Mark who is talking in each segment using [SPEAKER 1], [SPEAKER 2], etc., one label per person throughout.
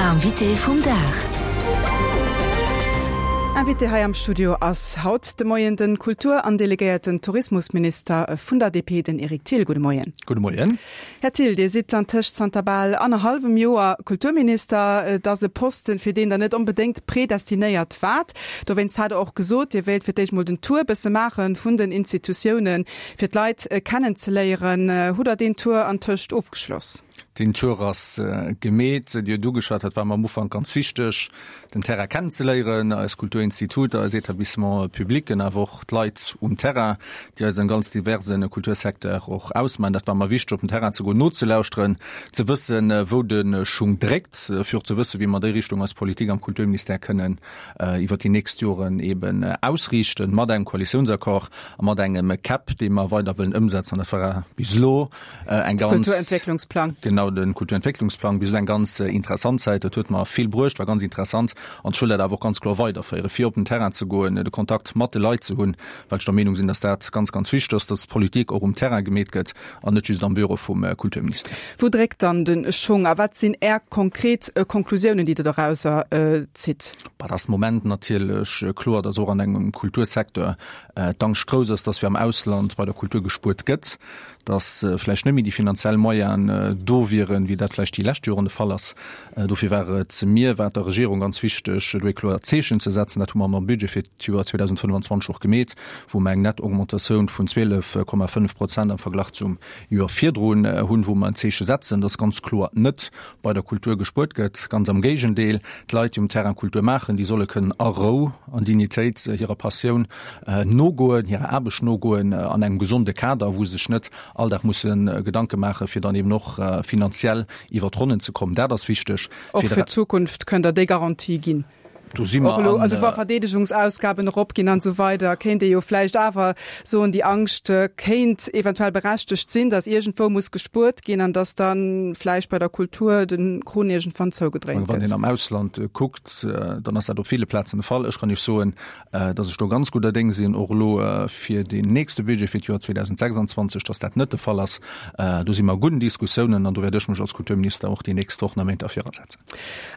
[SPEAKER 1] Invité vum Dag.
[SPEAKER 2] Invité hei am Studio ass haut de Moien den Kultur an delegéierten Tourismusminister vun der DP, den Eric Thill. Gudde Moien.
[SPEAKER 3] Gudde Moien.
[SPEAKER 2] Här Thill, Dir sidd antëscht zanter bal annerhallwem Joer Kulturminister. Et ass e Posten, fir deen Der net onbedéngt predestinéiert waart. Dowéinst hat Der och gesot, Dir wéilt fir d'éischt mol den Tour bësse maache vun den Institutiounen, fir d'Leit kennenzeléieren. Hutt Der deen Tour antëscht ofgeschloss?
[SPEAKER 3] Deen Tour ass gemeet. Dir hutt ugeschwat, dat war mer am Ufank ganz wichteg, den Terrain kennenzeléieren, eis Kulturinstituter, eis Etablissements publics, awer och d'Leit um Terrain, déi eisen ganz diverse Kultursecteur och ausmaachen. Dat war mer wichteg, op den Terrain ze goen, nozelauschteren, ze wëssen, wou de Schung dréckt, fir och ze wëssen, wéi mer déi Richtung eis Politik am Kulturministère kënnen iwwert déi nächst Joren eben ausriichten, mat engem Koalitiounsaccord a mat engem KEP, dee mer weider wëllen ëmsetzen. An dat war bis elo eng ganz.
[SPEAKER 2] Kulturentwécklungsplang.
[SPEAKER 3] Genau, de Kulturentwécklungsplang. Bis elo eng ganz interessant Zäit. Dat huet mer vill bruecht, war ganz interessant. An ech wëll dat awer och ganz kloer weiderféieren, fir op den Terrain ze goen, de Kontakt mat de Leit ze hunn, well ech der Meenung sinn, dass dat ganz, ganz wichteg ass, dass Politik och um Terrain gemeet gëtt an net just am Büro vum Kulturministère.
[SPEAKER 2] Wou dréckt dann de Schong a wat sinn Är konkret Konklusiounen, déi Der dorauser zitt?
[SPEAKER 3] Bah, et ass de Moment natierlech kloer, dass och an engem Kultursecteur d'Angscht grouss ass, dass wéi am Ausland bei der Kultur gespuert gëtt, dass vläicht net méi déi finanziell Moyenen do wieren, wéi dat vläicht déi lescht Joren de Fall ass. Dofir war et mir, war et der Regierung ganz wichteg, do ee kloert Zeechen ze setzen. Dat hu mer mam Budget fir d'Joer 2025 och gemeet, wou mer eng nett Augmentatioun vun 12,5 Prozent am Verglach zum Joer virdrun hunn, wou mer en Zeeche setzen, dass ganz kloer net bei der Kultur gespuert gëtt. Ganz am Géigendeel, d'Leit, déi um Terrain Kultur maachen, déi solle kënnen a Rou an Dignitéit hirer Passioun nogoen, hirer Aarbecht nogoen an engem gesonde Kader, wou se sech net all Dag musse Gedanke maachen, fir dann eben och finanziell iwwer d'Ronnen ze kommen. Dat ass wichteg.
[SPEAKER 2] Och fir d'Zukunft kënnt Der déi Garantie ginn?
[SPEAKER 3] Do si mer an.
[SPEAKER 2] Also wa Verdeedegungsausgaben eropginn an esou weider, kéint ee jo vläicht awer soen, déi Angscht kéint eventuell berechtegt sinn, datt iergendwou muss gespuert ginn an datt da vläicht bei der Kultur de Krunn iergendwann zougedréint
[SPEAKER 3] gëtt. Wann een am Ausland kuckt, dann ass dat op ville Plazen de Fall. Ech kann Iech soen, datt ech do ganz gudder Déng sinn, och elo fir deen nächste Budget fir d'Joer 2026, datt dat net de Fall ass. Do si mer a gudden Diskussiounen an do wäert ech mech als Kulturminister och déi nächst Wochen a Méint derfir asetzen.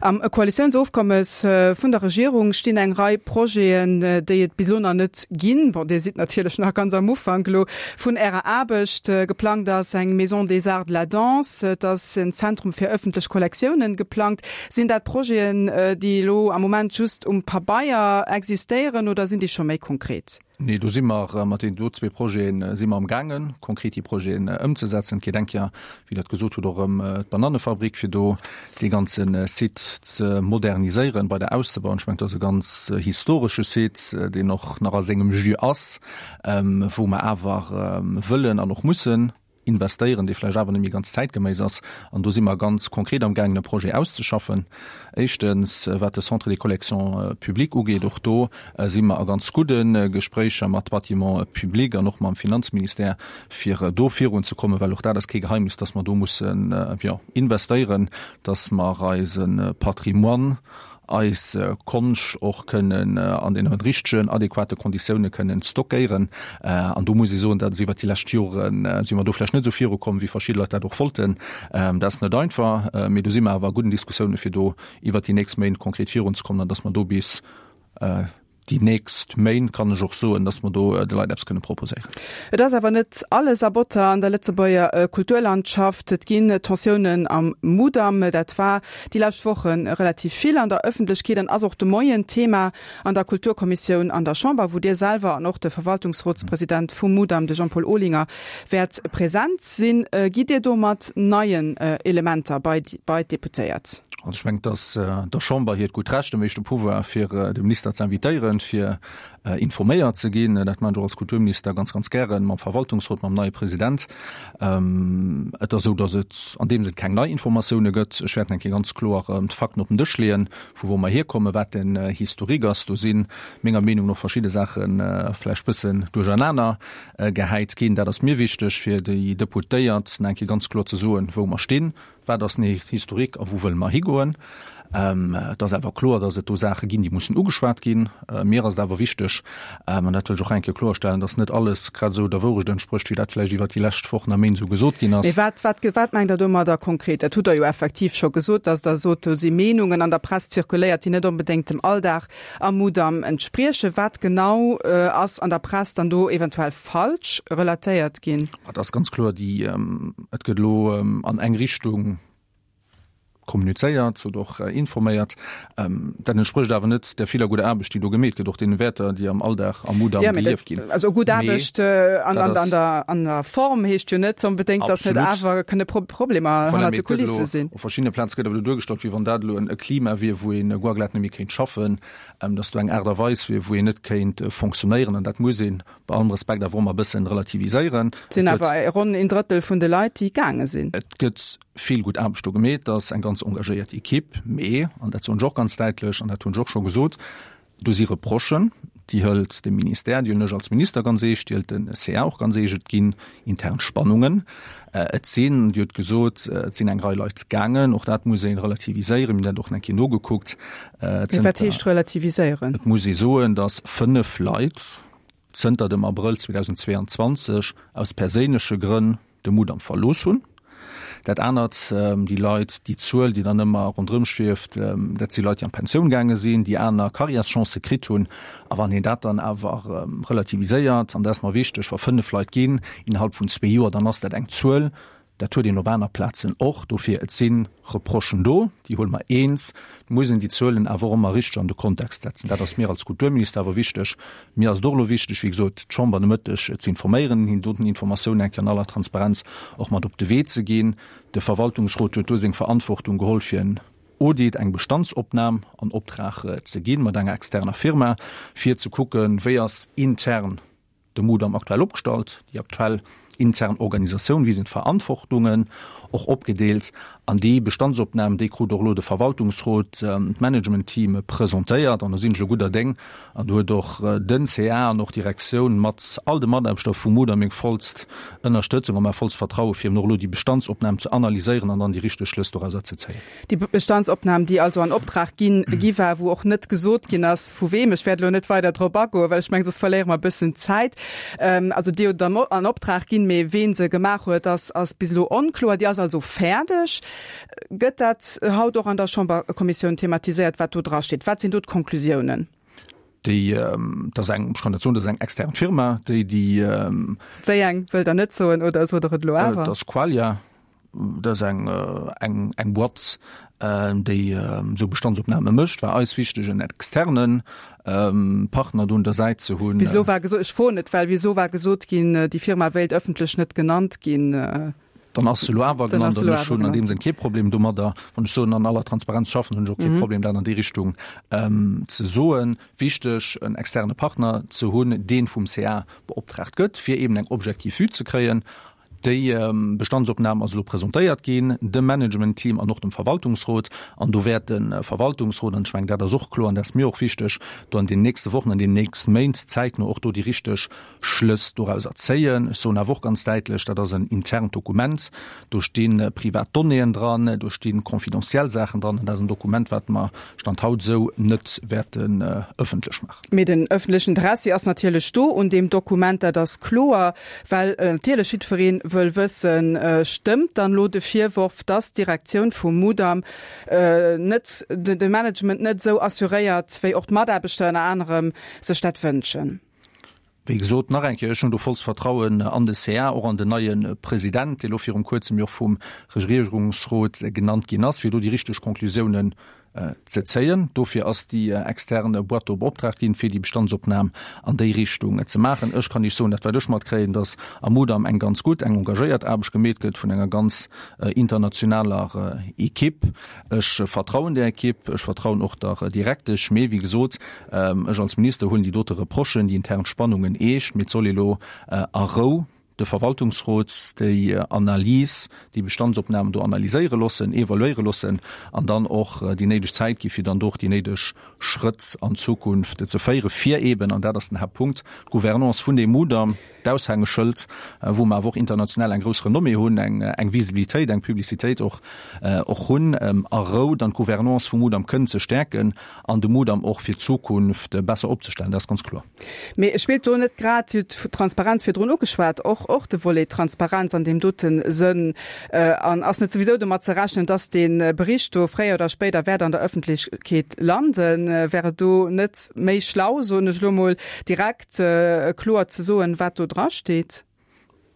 [SPEAKER 2] Am Koalitiounsofkommes vun der Regierung stinn eng Rei Projeten, déi et bis elo nach net ginn. Bon, Dir sidd natierlech nach ganz am Ufank elo vun Ärer Aarbecht. Geplangt ass eng Maison des Arts de la Danse, et ass en Zentrum fir ëffentlech Kollektiounen geplangt. Sinn dat Projeten, déi elo am Moment just um Pabeier existéieren oder sinn déi scho méi konkret?
[SPEAKER 3] Nee, do si mer mat deenen do zwee Projete si mer amgaangen, konkret déi Projeten ëmzesetzen. Et geet eng Kéier, wéi Der et gesot hutt, och ëm d'Banannefabrik, fir do dee ganze Site ze moderniséieren, weider auszebauen. Ech mengen, dat ass e ganz historesche Site, deen och nach a sengem Jus ass, wou mer awer wëllen an och mussen investéieren, dee vläicht awer net méi ganz zäitgeméiss ass. An do si mer ganz konkret amgaangen, e Projet auszeschaffen. Éischtens, wat de Centre des collections publiques ugeet, och do si mer a ganz gudde Gespréicher mat Bâtiments publics an och mam Finanzministère, fir do virunzekommen, well och dat ass kee Geheimnis, dass mer do mussen, jo, investéieren, dass mer eise Patrimoine, eis Konscht och kënnen an deene richtegen, adequate Konditioune kënnen stockéieren. An do muss ee soen, dat ass iwwert déi lescht Jore si mer do vläicht net esou virukomm, wéi verschidde Leit dat och wollten. Dat ass net einfach, mee do si mer awer a gudden Diskussioune fir do iwwert déi nächst Méint konkret virunzekommen an datt mer do bis déi nächst Méint, kann ech och soen, dass mer do de Leit eppes kënne proposéieren.
[SPEAKER 2] Et ass awer net alles a Botter an der Lëtzebuerger Kulturlandschaft. Et ginn Tensiounen am Mudam. Dat war déi lescht Woche relativ vill an der Ëffentlechkeet an ass och de Moien Thema an der Kulturkommissioun an der Chamber, wou Dir selwer an och de Verwaltungsrotspresident vum Mudam, de Jean-Paul Olinger, wäert present sinn. Gitt Dir do mat neien Elementer bei d'Deputéiert?
[SPEAKER 3] Also ech mengen, et ass der Chamber hiert gutt Recht, dem éischte Pouvoir, fir de Minister ze invitéieren, fir informéiert ze ginn. Dat maachen ech och als Kulturminister ganz, ganz gären, mam Verwaltungsrot, mam neie President. Et ass esou, datt et an deem Sënn keng nei Informatioune gëtt. Ech wäert eng Kéier ganz kloer d'Fakten op den Dësch leeën, vu wou mer hierkommen, wat den Historique ass. Do si menger Meenung no verschidde Saache vläicht bëssen duerchernaner gehäit ginn. Dat ass mir wichteg, fir déi Deputéiert eng Kéier ganz kloer ze soen, wou mer stinn, Wat ass den Historique a wou wëlle mer higoen? Et ass awer kloer, dass et do Saache ginn, déi mussen ugeschwat ginn. Mir ass et awer wichteg, an dat wëll ech och eng Kéier kloerstellen, dass net alles grad esou der Wourecht entsprécht, wéi dat vläicht iwwert déi lescht Wochen a Méint esou gesot ginn ass.
[SPEAKER 2] Mee wat, wat, wat mengt Der domadder konkret? Dat hutt Der jo effektiv scho gesot, dass Der sot, do si Meenungen an der Press zirkuléiert, déi net onbedéngt dem Alldag am Mudam entspriechen. Wat genau ass an der Press dann do eventuell falsch relatéiert ginn?
[SPEAKER 3] Et ass ganz kloer, déi, et gëtt elo an eng Richtung kommunizéiert oder och informéiert. Dat entsprécht awer net där viller gudder Aarbecht, déi do gemeet gëtt, och deene Wäerter, déi am Alldag am Mudam gelieft ginn.
[SPEAKER 2] Also gutt Aarbecht an der Form heescht jo net onbedéngt, datt net awer kënne Problemer hannert de Kulisse sinn.
[SPEAKER 3] Op verschiddene Plaze gëtt awer elo duergestallt, wéi wann dat elo e Klima wier, wou ee guer glat net méi kéint schaffen, datt do eng Aart a Weis wier, wou een net kéint fonctionnéieren. An dat muss een bei allem Respekt awer och emmer e bëssen relativiséieren.
[SPEAKER 2] Et sinn awer ronn een Drëttel vun de Leit, déi gaange sinn.
[SPEAKER 3] Et gëtt vill gutt Aarbecht do gemeet, et ass eng ganz engagéiert Equipe, mee, an dat soen ech och ganz däitlech, an dat hunn ech och scho gesot, do si Reprochen, déi hëlt de Ministère, déi hunn ech als Minister ganz eescht, déi hëlt de CA och ganz eescht. Et ginn intern Spannungen. Et sinn, Dir hutt gesot, et sinn eng Rei Leit gaangen, och dat muss ee relativiséieren, mir hunn dat och nach eng Kéier nogekuckt.
[SPEAKER 2] Wat heescht relativiséieren?
[SPEAKER 3] Et muss ee soen, datt 5 Leit zënter dem Abrëll 2022 aus perséinleche Grënn de Mudam verlooss hunn. Dat anert, déi Leit, déi Zuel, déi dann ëmmer ronderëm schwieft, dat si Leit, déi an d'Pensioun gaange sinn, déi aner Karriärschancë kritt hunn. A wann een dat dann awer relativiséiert, an dat ass mer wichteg, wa 5 Leit ginn innerhalb vun zwee Joer, dann ass dat eng Zuel, Dat huet een op aner Plazen och. Dofir, et si Reprochen do, déi huele mer eens. Et muss een déi Zuelen awer och ëmmer richteg an de Kontext setzen. Dat ass mir als Kulturminister awer wichteg. Mir ass et och elo wichteg, wéi gesot, d'Chamber de Mëtteg ze informéieren, hinnen doten Informatiounen eng Kéier an aller Transparenz och mat op de Wee ze ginn. De Verwaltungsrot huet do seng Verantwortung geholl, fir en Audit, eng Bestandsopnam an Optrag ze ginn, mat enger externer Firma, fir ze kucken, wéi ass intern De Mudam aktuell opgestallt, déi aktuell intern Organisatioun, wéi sinn d'Verantwortungen och opgedeelt an déi Bestandsopnam, déi krut och elo de Verwaltungsrot, d'Managementteam presentéiert an do sinn ech elo gudder Déng an do huet och den CA an och d'Direktioun mat all de Mataarbechter vum Mudam meng vollst Ënnerstëtzung a mäi vollst Vertraue fir eben och elo déi Bestandsopnam ze analyséieren an dann déi richteg Schlëss dorauser ze zéien.
[SPEAKER 2] Déi Bestandsopnam, déi also an Optrag ginn, gi war, wou och net gesot ginn ass, vu wem. Ech wäert elo net weider drop agoen, well ech mengen, soss verléiere mer e bëssen Zäit. Also déi huet an Optrag ginn, mee ween se gemaach huet, ass, ass bis elo onkloer. Déi ass also fäerdeg. Gëtt dat haut och an der Chamberkommissioun thematiséiert, wat do drasteet? Wat sinn do d'Konklusiounen?
[SPEAKER 3] Déi, dat ass eng, ech kann dat soen, dat ass eng extern Firma, déi déi.
[SPEAKER 2] Wéi eng wëllt Der net soen oder sot Der et elo awer?
[SPEAKER 3] Dat ass Qualia. Dat ass eng, eng, eng Boîte, déi esou Bestandsopname mécht. War eis wichteg, en externe Partner do un der Säit ze hunn.
[SPEAKER 2] Bis elo war gesot, ech froen et, well bis elo war gesot ginn, déi Firma wéilt ëffentlech net genannt ginn.
[SPEAKER 3] Dann ass se elo awer genannt an ech hunn an deem Sënn kee Problem domadder. Wann ech soen, an aller Transparenz schaffen, hunn ech och kee Problem, dat an déi Richtung ze soen. Wichteg, en externe Partner ze hunn, dee vum CA beoptraagt gëtt, fir eeben eng objektiv Vue ze kréien. Déi Bestandsopnam ass elo presentéiert ginn dem Managementteam an och dem Verwaltungsrot. An do wäert de Verwaltungsrot, an ech mengen, dat ass och kloer an dat ass mir och wichteg, do an den nächste Wochen, an den nächste Méint zäitno och do déi richteg Schlëss dorauser zéien. Ech soen awer och ganz däitlech, dat ass en internt Dokument, do sti privat Donnéeën dran, do sti confidentiel Saachen dran an dat ass en Dokument, wat mer Stand haut esou net wäerten ëffentlech maachen.
[SPEAKER 2] Mee den ëffentlechen Interessi ass natierlech do un deem Dokument, dat ass kloer, well natierlech jiddweree wëll wëssen, Stëmmt dann elo de Virworf, dass d'Direktioun vum Mudam net, de Management net esou assuréiert, wéi och d'Mataarbechter ënner anerem sech dat wënschen?
[SPEAKER 3] Wéi gesot, nach eng Kéier, ech hunn do vollst Vertrauen an de CA, och an den neie President, dee lo virum Kuerzem jo och vum Regierungsrot genannt ginn ass, fir do déi richteg Conclusiounen ze zéien. Dofir ass déi externe Boîte do beoptraagt ginn, fir déi Bestandsopnam an déi Richtung ze maachen. Ech kann Iech soen, dat wat ech matkréien, dass am Mudam eng ganz gutt, eng engagéiert Aarbecht gemeet gëtt vun enger ganz internationaler Equipe. Ech vertrauen där Equipe, ech vertrauen och der Direktesch. Mee wéi gesot, ech als Minister huelen déi dote Reprochen, déi intern Spannungen eescht. Mee et soll elo a Rou de Verwaltungsrot déi Analys, déi Bestandsopnamen do analyséiere loossen, evaluéiere loossen an dann och déi néideg Zäit gi fir dann do och déi néideg Schrëtt an Zukunft ze féieren, fir eeben, an dat ass den Haaptpunkt, d'Gouvernance vun deem Mudam. d'Aushängeschëld, wou mer awer och international eng grouss Renommée hunn, eng eng Visibilitéit, eng Publicitéit och och hunn, a Rou dann d'Gouvernance vum Mudam kënnen ze stäerken an de Mudam och fir d'Zukunft besser opzestellen. Dat ass ganz kloer.
[SPEAKER 2] Mee spillt do net grad, Dir hutt d'Transparenz virdrun ugeschwat, och och de Volet Transparenz an deem dote Sënn? An ass net souwisou domat ze rechnen, dass dee Bericht do fréier oder spéider wäert an der Ëffentlechkeet landen? Wär et do net méi schlau, soen ech elo emol, direkt kloer ze soen, wat do drasteet?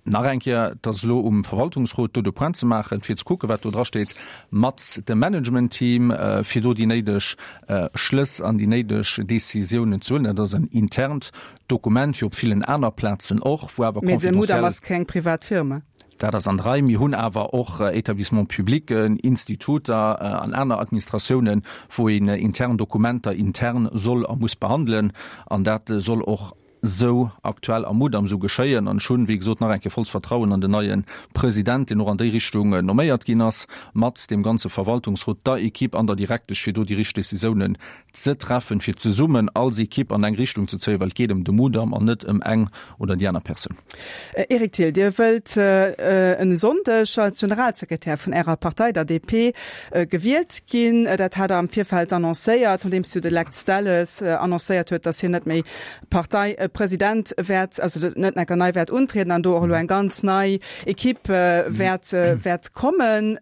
[SPEAKER 3] Nach eng Kéier, et ass elo um Verwaltungsrot, do de Point ze maachen, fir ze kucken, wat do drasteet, mat dem Managementteam, fir do déi néideg Schlëss an déi néideg Décisiounen ze huelen. Dat ass en internt Dokument, wéi op villen aner Plazen och, wou awer
[SPEAKER 2] confidentiel. Mee de Mudam ass keng privat Firma.
[SPEAKER 3] Dat ass an der Rei. Mir hunn awer och Établissements publics, Instituter an aner Administratiounen, wou een intern Dokumenter intern soll a muss behandelen. An dat soll och esou aktuell am Mudam esou geschéien. An ech hunn, wéi gesot, nach eng Kéier vollst Vertrauen an den neie President, deen och an déi Richtung nomméiert ginn ass, mat deem ganze Verwaltungsrot, der Equipe an der Direktesch, fir do déi richteg Décisiounen ze treffen, fir zesummen als Equipe an eng Richtung ze zéien, well et geet ëm de Mudam an net ëm eng oder déi aner Persoun.
[SPEAKER 2] Eric Thill, Dir wëllt e Sonndeg als Generalsekretär vun Ärer Partei, der DP, gewielt ginn. Dat hat Der am Virfeld annoncéiert, nodeems jo de Lex Delles annoncéiert huet, datt hien net méi Parteipresident wäert, also net enker nei wäert untrieden an do och elo eng ganz nei Equipe wäert wäert kommen.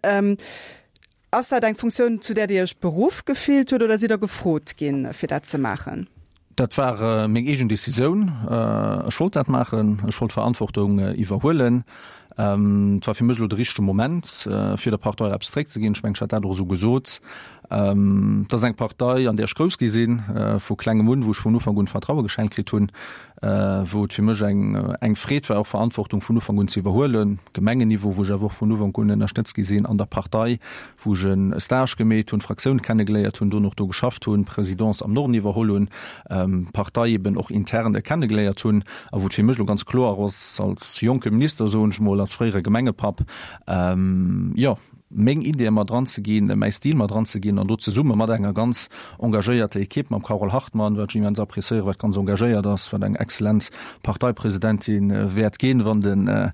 [SPEAKER 2] Ass dat eng Funktioun, zu där Dir Iech beruff gefillt hutt oder sidd Der gefrot ginn, fir dat ze maachen?
[SPEAKER 3] Dat war meng eegen Decisioun. Ech wollt dat maachen. Ech wollt Verantwortung iwwerhuelen. Et war fir mech elo de richtege Moment, fir der Partei eppes zeréckzeginn. Ech mengen, ech hat dat och esou gesot. Et ass eng Partei, an där ech grouss gi sinn, vu klengem un, wou ech vun Ufank un Vertraue geschenkt kritt hunn, wou et fir mech eng eng Freed war, och Verantwortung vun Ufank un ze iwwerhuelen, Gemengenniveau, wou ech awer och vun Ufank un ënnerstëtzt gi sinn, an der Partei, wou ech e Stage gemeet hunn, d'Fraktioun kennegeléiert hunn, dono och do geschafft hunn, d'Presidence am Norden iwwerholl hunn, d'Partei eben och intern kennegeléiert hunn a wou et fir mech elo ganz kloer ass, als jonke Minister, soen ech mol, als fréiere Gemengepapp, jo, meng Ideeë mat eranzeginn, mäi Stil mat eranzeginn an do zesumme mat enger ganz engagéierter Ekipp, mam Carole Hartmann, wat ech immens appréciéieren, wat ganz engagéiert ass, wat eng exzellent Parteipresidentin wäert ginn, wann den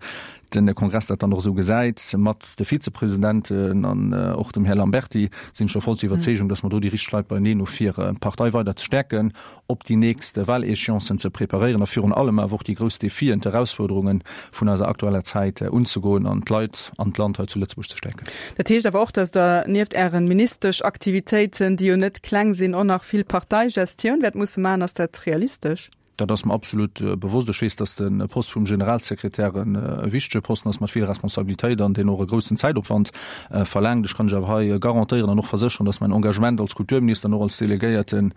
[SPEAKER 3] de Kongress dat dann och esou gesäit, mat de Vizepresidenten an och dem Här Lamberty, sinn ech der vollster Iwwerzeegung, datt mer do déi richteg Leit beieneen hu fir d'Partei weider ze stäerken, op déi nächst Wahléchéancen ze preparéieren a virun allem awer och déi grouss Defien, d'Erausfuerderunge vun eiser aktueller Zäit unzegoen an d'Leit an d'Land hei zu Lëtzebuerg ze stäerken.
[SPEAKER 2] Dat heescht awer och, datt Der nieft Ären Ministeschaktivitéiten, déi jo net kleng sinn, och nach vill Parteigestioun wäert musse maachen. Ass dat realistesch?
[SPEAKER 3] Dat ass mer absolut bewosst. Ech weess, datt de Poste vum Generalsekretär e wichtege Posten ass mat vill Responsabilitéit an deen och e groussen Zäitopwand verlaangt. Ech kann lech awer hei garantéieren an och versécheren, datt mäin Engagement als Kulturminister an och als delegéierten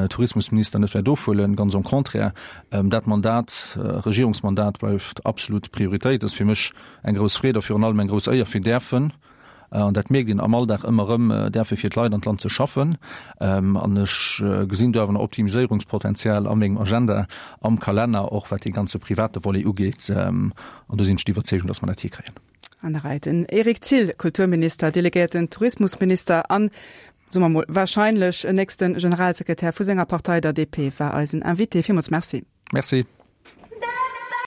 [SPEAKER 3] Tourismusminister net wäert ofhuelen. Ganz au contraire, dat Mandat, Regierungsmandat bleift absolut Prioritéit. Et ass fir mech eng grouss Freed a virun allem eng grouss Éier fir däerfen, an dat mierkt een am Alldag ëmmer erëm, däerfe fir d'Leit an d'Land ze schaffen. An ech gesinn do awer nach Optimiséierungspotenzial a mengem Agenda, am Kalenner, och wat dee ganze private Volet ugeet. An do sinn ech der Iwwerzeegung, dass mer dat hikréien.
[SPEAKER 2] An der Rei den Eric Thill, Kulturminister, delegéierten Tourismusminister an, soe mer mol, wahrscheinlech nächste Generalsekretär vu senger Partei, der DP, war eisen Invité. Villmools Merci.
[SPEAKER 3] Merci.